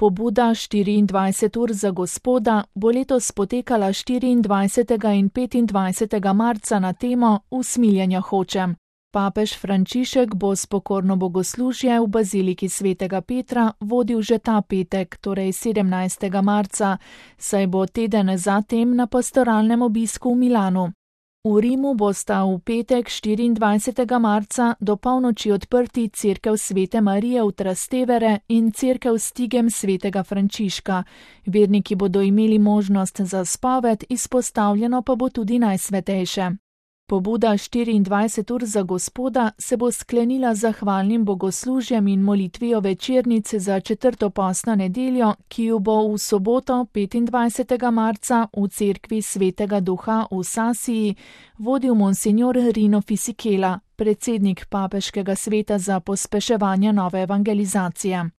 Pobuda 24 ur za Gospoda bo letos potekala 24. in 25. marca na temo Usmiljenja hočem. Papež Frančišek bo spokorno bogoslužje v baziliki svetega Petra vodil že ta petek, torej 17. marca, saj bo teden zatem na pastoralnem obisku v Milanu. V Rimu bosta v petek 24. marca do polnoči odprti cerkev Svete Marije v Trastevere in cerkev Stigem svetega Frančiška. Verniki bodo imeli možnost za spoved, izpostavljeno pa bo tudi Najsvetejše. Pobuda 24 ur za Gospoda se bo sklenila z zahvalnim bogoslužjem in molitvijo večernice za četrto postno nedeljo, ki jo bo v soboto 25. marca v cerkvi Svetega Duha v Sasiji vodil monsignor Rino Fisichella, predsednik papeškega sveta za pospeševanje nove evangelizacije.